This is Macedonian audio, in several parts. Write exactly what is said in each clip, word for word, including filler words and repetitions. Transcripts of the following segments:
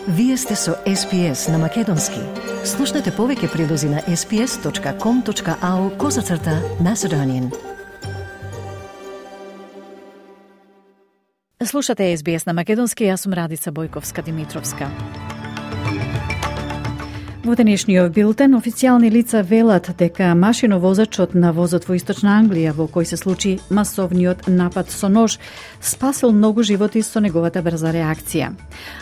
Вие сте со Ес Би Ес на Македонски. Слушнете повеќе прилози на ес би ес точка ком точка ау козацрта Macedonian. Слушате Ес Би Ес на Македонски, јас сум Радица Бојковска-Димитровска. Во денешниот билтен, официјални лица велат дека машиновозачот на возот во Источна Англија, во кој се случи масовниот напад со нож, спасил многу животи со неговата брза реакција.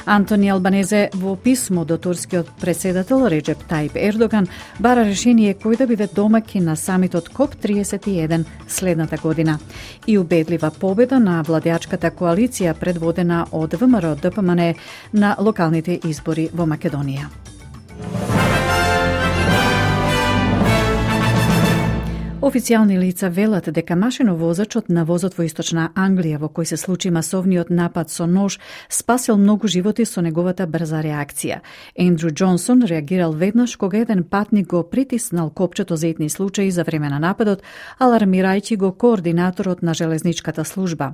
Антони Албанезе во писмо до турскиот председател Реджеп Тајип Ердоган бара решение кој да биде домаќин на самитот Коп триесет и еден следната година и убедлива победа на владеачката коалиција предводена од Вэ Ем Ар Д П М Н на локалните избори во Македонија. Официјални лица велат дека машиновозачот на возот во Источна Англија, во кој се случи масовниот напад со нож, спасил многу животи со неговата брза реакција. Ендрю Џонсон реагирал веднаш кога еден патник го притиснал копчето за итни случаи за време на нападот, алармирајќи го координаторот на железничката служба.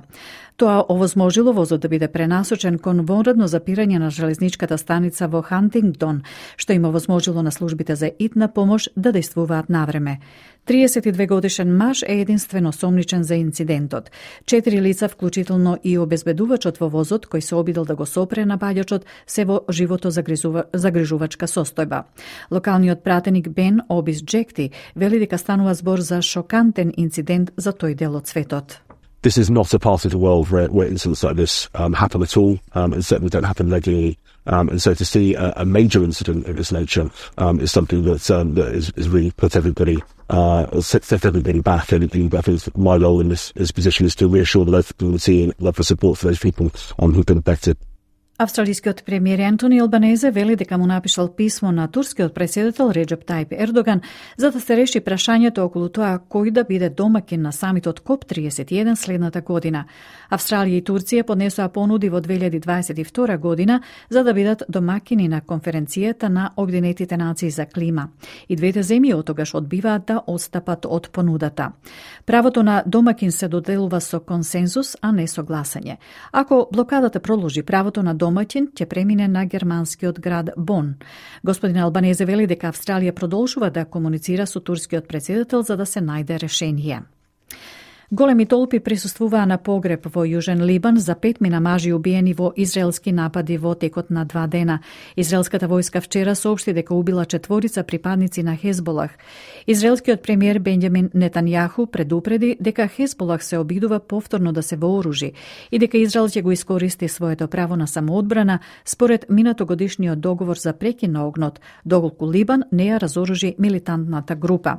Тоа овозможило возот да биде пренасочен кон вонредно запирање на железничката станица во Хантингтон, што им овозможило на службите за итна помош да действуваат навреме. триесет и две годишен маж е единствено сомничен за инцидентот. Четири лица, вклучително и обезбедувачот во возот, кој се обидел да го сопре на баѓачот, се во живото загрижувачка состојба. Локалниот пратеник Бен Обис Джекти вели дека станува збор за шокантен инцидент за тој дел од светот. This is not a part of the world where, where incidents like this um, happen at all, um, and certainly don't happen regularly. Um, and so to see a, a major incident of this nature um, is something that, um, that is, is really put everybody, uh, set everybody back. And I think my role in this, this position is to reassure the local community and love for support for those people um, who've been affected. Австралискиот премиер Антони Албанезе вели дека му напишал писмо на турскиот председател Реджеп Тајип Ердоган за да се реши прашањето околу тоа кој да биде домаќин на самитот Коп триесет и еден следната година. Австралија и Турција поднесоа понуди во две илјади дваесет и втора година за да бидат домаќини на конференцијата на Обединетите нации за клима. И двете земји отогаш одбиваат да отстапат од понудата. Правото на домаќин се доделува со консензус, а не со гласање. Ако блокадата продолжи, правото на домаќин ќе премине на германскиот град Бон. Господин Албанезе вели дека Австралија продолжува да комуницира со турскиот председател за да се најде решение. Големи толпи присуствуваа на погреб во Јужен Либан за петмина мажи убиени во израелски напади во текот на два дена. Израелската војска вчера соопшти дека убила четворица припадници на Хезболах. Израелскиот премиер Бенџамин Нетањаху предупреди дека Хезболах се обидува повторно да се вооружи и дека Израел ќе го искористи своето право на самоодбрана според минатогодишниот договор за прекин на огнот, доколку Либан не ја разоружи милитантната група.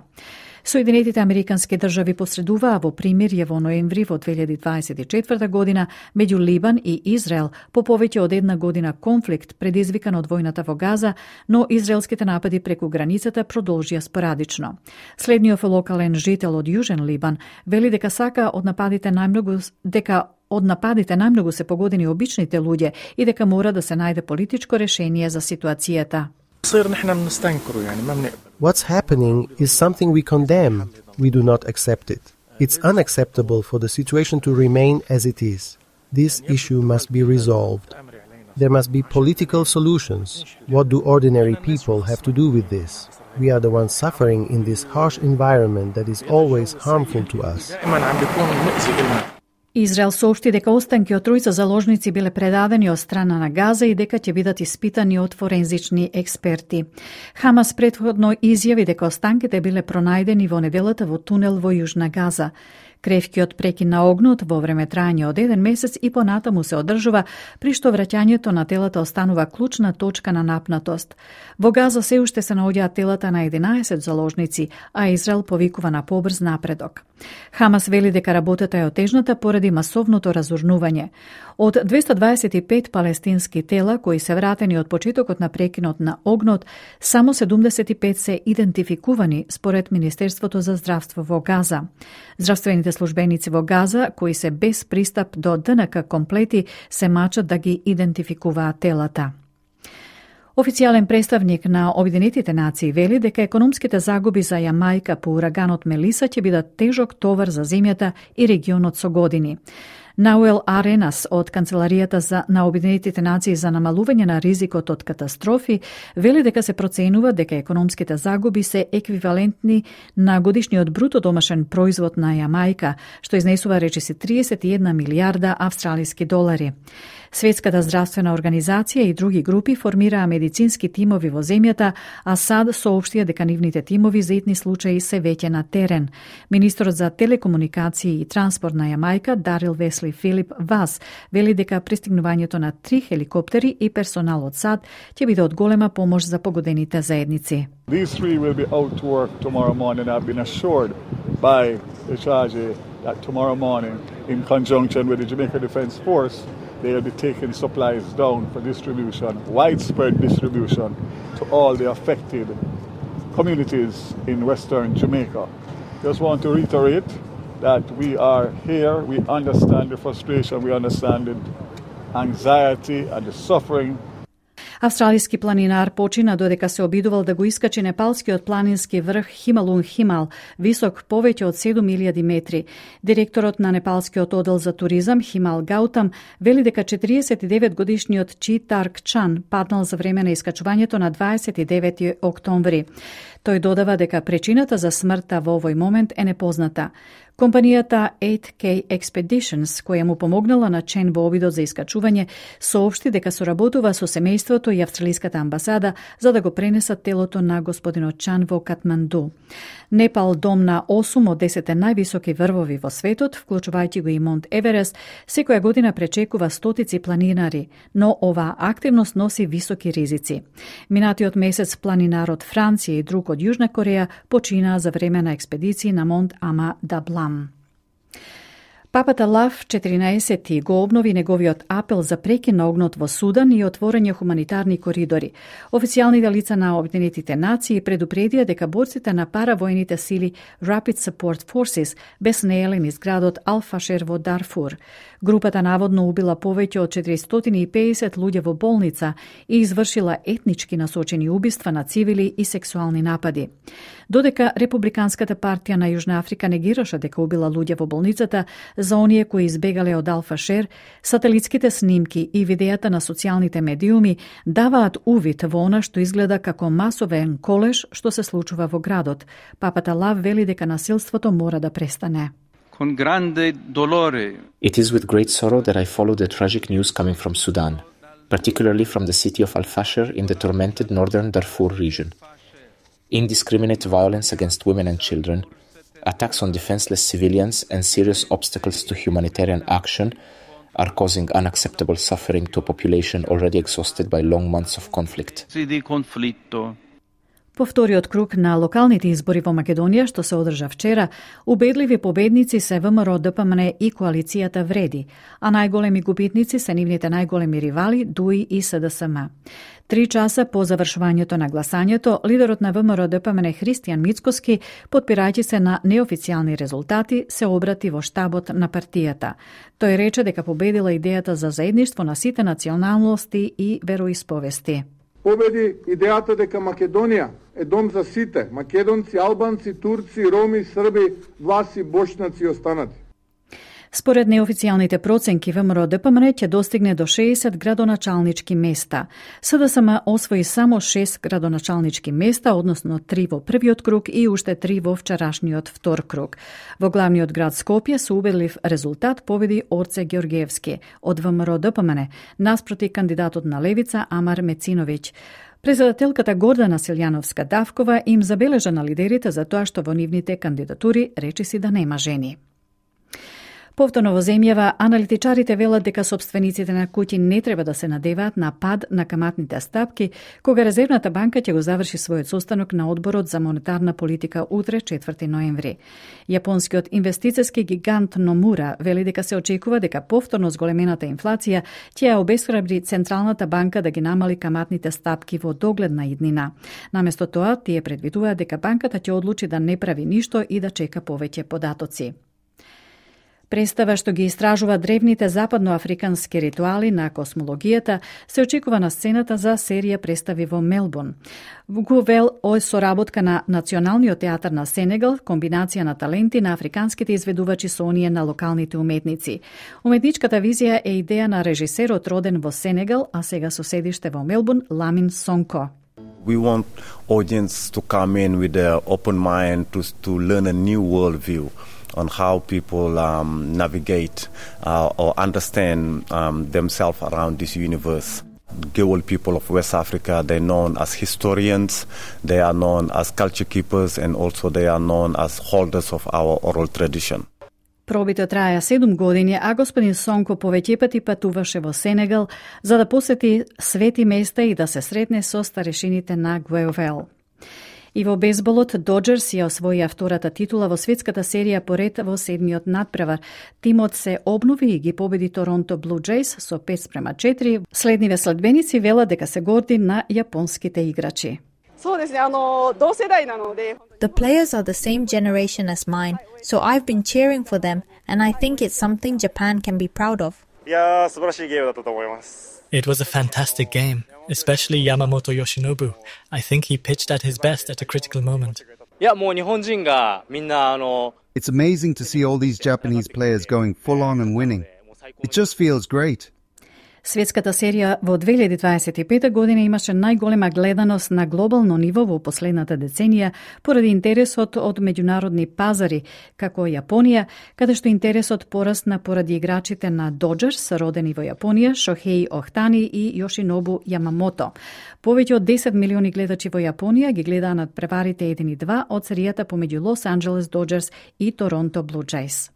Соединетите Американски држави посредуваа во примирје во ноември во две илјади дваесет и четврта година меѓу Либан и Израел по повеќе од една година конфликт предизвикан од војната во Газа, но израелските напади преку границата продолжија спорадично. Следниот локален жител од Јужен Либан вели дека сака од нападите најмногу дека од нападите најмногу се погодени обичните луѓе и дека мора да се најде политичко решение за ситуацијата. What's happening is something we condemn. We do not accept it. It's unacceptable for the situation to remain as it is. This issue must be resolved. There must be political solutions. What do ordinary people have to do with this? We are the ones suffering in this harsh environment that is always harmful to us. Израел соопшти дека останки од тројца заложници биле предадени од страна на Газа и дека ќе бидат испитани од форензични експерти. Хамас претходно изјави дека останките биле пронајдени во неделата во тунел во Јужна Газа. Кревкиот прекин на огнот во време трајање од еден месец и понатаму се одржува, при што враќањето на телата останува клучна точка на напнатост. Во Газа се уште се наоѓаат телата на единаесет заложници, а Израел повикува на побрз напредок. Хамас вели дека работата е отежната поради масовното разурнување. Од двеста дваесет и пет палестински тела кои се вратени од почетокот на прекинот на огнот, само седумдесет и пет се идентификувани според Министерството за здравство во Газа. Здравствените службеници во Газа, кои се без пристап до Д Н К комплети, се мачат да ги идентификуваат телата. Официјален представник на Обединетите нации вели дека економските загуби за Јамајка по ураганот Мелиса ќе бидат тежок товар за земјата и регионот со години. Науел Аренас од Канцеларијата за на Обединетите нации за намалување на ризикот од катастрофи вели дека се проценува дека економските загуби се еквивалентни на годишниот бруто домашен производ на Јамајка, што изнесува речиси триесет и една милијарда австралиски долари. Светската здравствена организација и други групи формираа медицински тимови во земјата, а САД соопштија дека нивните тимови за итни случаи се веќе на терен. Министрот за телекомуникации и транспорт на Јамајка, Дарил Весли Филип Вас, вели дека пристигнувањето на три хеликоптери и персонал од САД ќе биде од голема помош за погодените заедници. These three will be out to work tomorrow morning. I've been assured by the charge that tomorrow morning, in conjunction with the Jamaica Defence Force, they will be taking supplies down for distribution, widespread distribution to all the affected communities in Western Jamaica. Just want to reiterate that we are here, we understand the frustration, we understand the anxiety and the suffering. Австралиски планинар почина додека се обидувал да го искачи непалскиот планински врх Хималун Химал, висок повеќе од седум илјади метри. Директорот на непалскиот одел за туризам Химал Гаутам вели дека четириесет и девет годишниот Чи Тарк Чан паднал за време на искачувањето на дваесет и девети октомври. Тој додава дека причината за смртта во овој момент е непозната. Компанијата eight K Expeditions, која му помогнала на Чен во обидот за искачување, соопшти дека соработува со семејството и австралиската амбасада за да го пренесат телото на господинот Чан во Катманду. Непал, дом на осум од десет највисоки врвови во светот, вклучувајќи го и Монт Еверест, секоја година пречекува стотици планинари, но оваа активност носи високи ризици. Минатиот месец планинар од Франција и друг од Јужна Кореја починаа за време на експедиции на Монт Ама Даблам. Папата Лав четиринаесети го обнови неговиот апел за прекин на огнот во Судан и отворање хуманитарни коридори. Официјалните лица на Обединетите нации предупредија дека борците на паравојните сили Rapid Support Forces беснееле низ градот Ал-Фашер во Дарфур. Групата наводно убила повеќе од четиристотини и педесет луѓе во болница и извршила етнички насочени убиства на цивили и сексуални напади. Додека Републиканската партија на Јужна Африка негираше дека убила луѓе во болницата, за оние кои избегале од Ал-Фашер, сателитските снимки и видеата на социјалните медиуми даваат увид во она што изгледа како масовен колеж што се случува во градот. Папата Лав вели дека насилството мора да престане. Con grande dolore. It is with great sorrow that I follow the tragic news coming from Sudan, particularly from the city of Al-Fasher in the tormented northern Darfur region. Indiscriminate violence against women and children, attacks on defenseless civilians and serious obstacles to humanitarian action are causing unacceptable suffering to a population already exhausted by long months of conflict. По вториот круг на локалните избори во Македонија, што се одржа вчера, убедливи победници се ВМРО Д П М Н и коалицијата Вреди, а најголеми губитници се нивните најголеми ривали Дуи и С Д С М. Три часа по завршувањето на гласањето, лидерот на ВМРО Д П М Н Христијан Мицкоски, потпирајќи се на неофицијални резултати, се обрати во штабот на партијата. Тој рече дека победила идејата за заедништво на сите националности и вероисповести. Победи идејата дека Македонија е дом за сите, македонци, албанци, турци, роми, срби, власи, бошнаци и останати. Според неофицијалните проценки, ВМРО Д П М Н ќе достигне до шеесет градоначалнички места. С Д С М освои само шест градоначалнички места, односно три во првиот круг и уште три во вчерашниот втор круг. Во главниот град Скопје со убедлив резултат победи Орце Ѓорѓевски од ВМРО Д П М Н, наспроти кандидатот на левица Амар Мециновиќ. Председателката Гордана Силјановска Давкова им забележа на лидерите за тоа што во нивните кандидатури речиси да нема жени. Повторно во земјава, аналитичарите велат дека собствениците на куќи не треба да се надеваат на пад на каматните стапки, кога Резервната банка ќе го заврши својот состанок на Одборот за монетарна политика утре, четврти ноември. Јапонскиот инвестициски гигант Номура вели дека се очекува дека повторно зголемената инфлација ќе ја обесхрабри Централната банка да ги намали каматните стапки во догледна иднина. Наместо тоа, тие предвидуваат дека банката ќе одлучи да не прави ништо и да чека повеќе податоци. Представа што ги истражува древните западноафрикански ритуали на космологијата се очекува на сцената за серија представи во Мелбурн. Гувел е соработка на Националниот театар на Сенегал, комбинација на таленти на африканските изведувачи со оние на локалните уметници. Уметничката визија е идеја на режисерот роден во Сенегал, а сега со седиште во Мелбурн, Ламин Сонко. We want audience to come in with an open mind to to learn a new worldview on how people um, navigate uh, or understand um, themselves around this universe. Gewol people of West Africa, they're known as historians, they are known as culture keepers, and also they are known as holders of our oral tradition. Пробите траја седум години, а господин Сонко повеќе пати патуваше во Сенегал за да посети свети места и да се сретне со старешините на Гуевел. И во бейсболот Доџерс ја освоија втората титула во светската серија поред во седмиот надпревар. Тимот се обнови и ги победи Торонто Блу Джејс со пет спрема четири. Следниве следбеници велат дека се горди на јапонските играчи. The players are the same generation as mine, so I've been cheering for them, and I think it's something Japan can be proud of. It was a fantastic game, especially Yamamoto Yoshinobu. I think he pitched at his best at a critical moment. It's amazing to see all these Japanese players going full on and winning. It just feels great. Светската серија во две илјади дваесет и пета година имаше најголема гледаност на глобално ниво во последната деценија поради интересот од меѓународни пазари, како Јапонија, каде што интересот порасна поради играчите на Доџерс, родени во Јапонија, Шохеи Охтани и Јошинобу Јамамото. Повеќе од десет милиони гледачи во Јапонија ги гледаа надпреварите еден и два од серијата помеѓу Лос Анџелес Доџерс и Торонто Блу Джејс.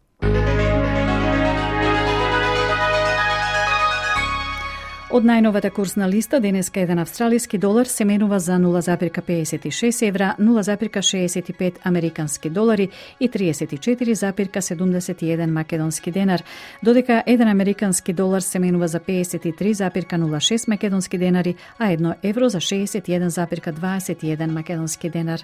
Од најновата курсна листа, денеска еден австралиски долар се менува за нула запирка педесет и шест евра, нула запирка шеесет и пет американски долари и триесет и четири запирка седумдесет и еден македонски денар, додека еден американски долар се менува за педесет и три запирка нула шест македонски денари, а едно евро за шеесет и еден запирка дваесет и еден македонски денар.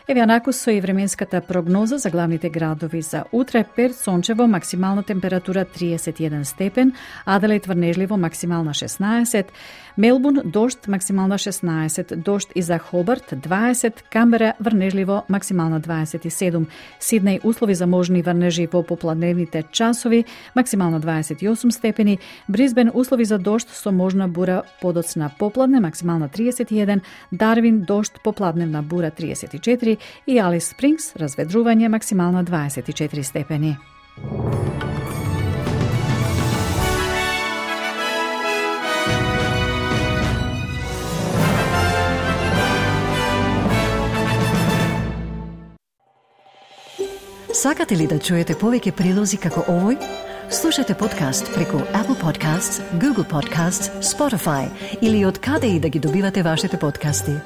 Еве анакус со и временската прогноза за главните градови за утре. Перт сончево, максимална температура триесет и еден степен, Аделаид врнежливо, максимална шеснаесет, Мелбурн дожд, максимална шеснаесет, дожд и за Хобарт дваесет, Камбера врнежливо, максимална дваесет и седум, Сиднеј услови за можни врнежи во попладневните часови, максимална дваесет и осум степени, Брисбен услови за дожд со можна бура подоцна попладне, максимална триесет и еден, Дарвин дожд, попладневна бура триесет и четири и Алис Спрингс разведрување, максимална дваесет и четири степени. Сакате ли да чуете повеќе прилози како овој? Слушате подкаст преку Apple Podcasts, Google Podcasts, Spotify или од каде и да ги добивате вашите подкасти.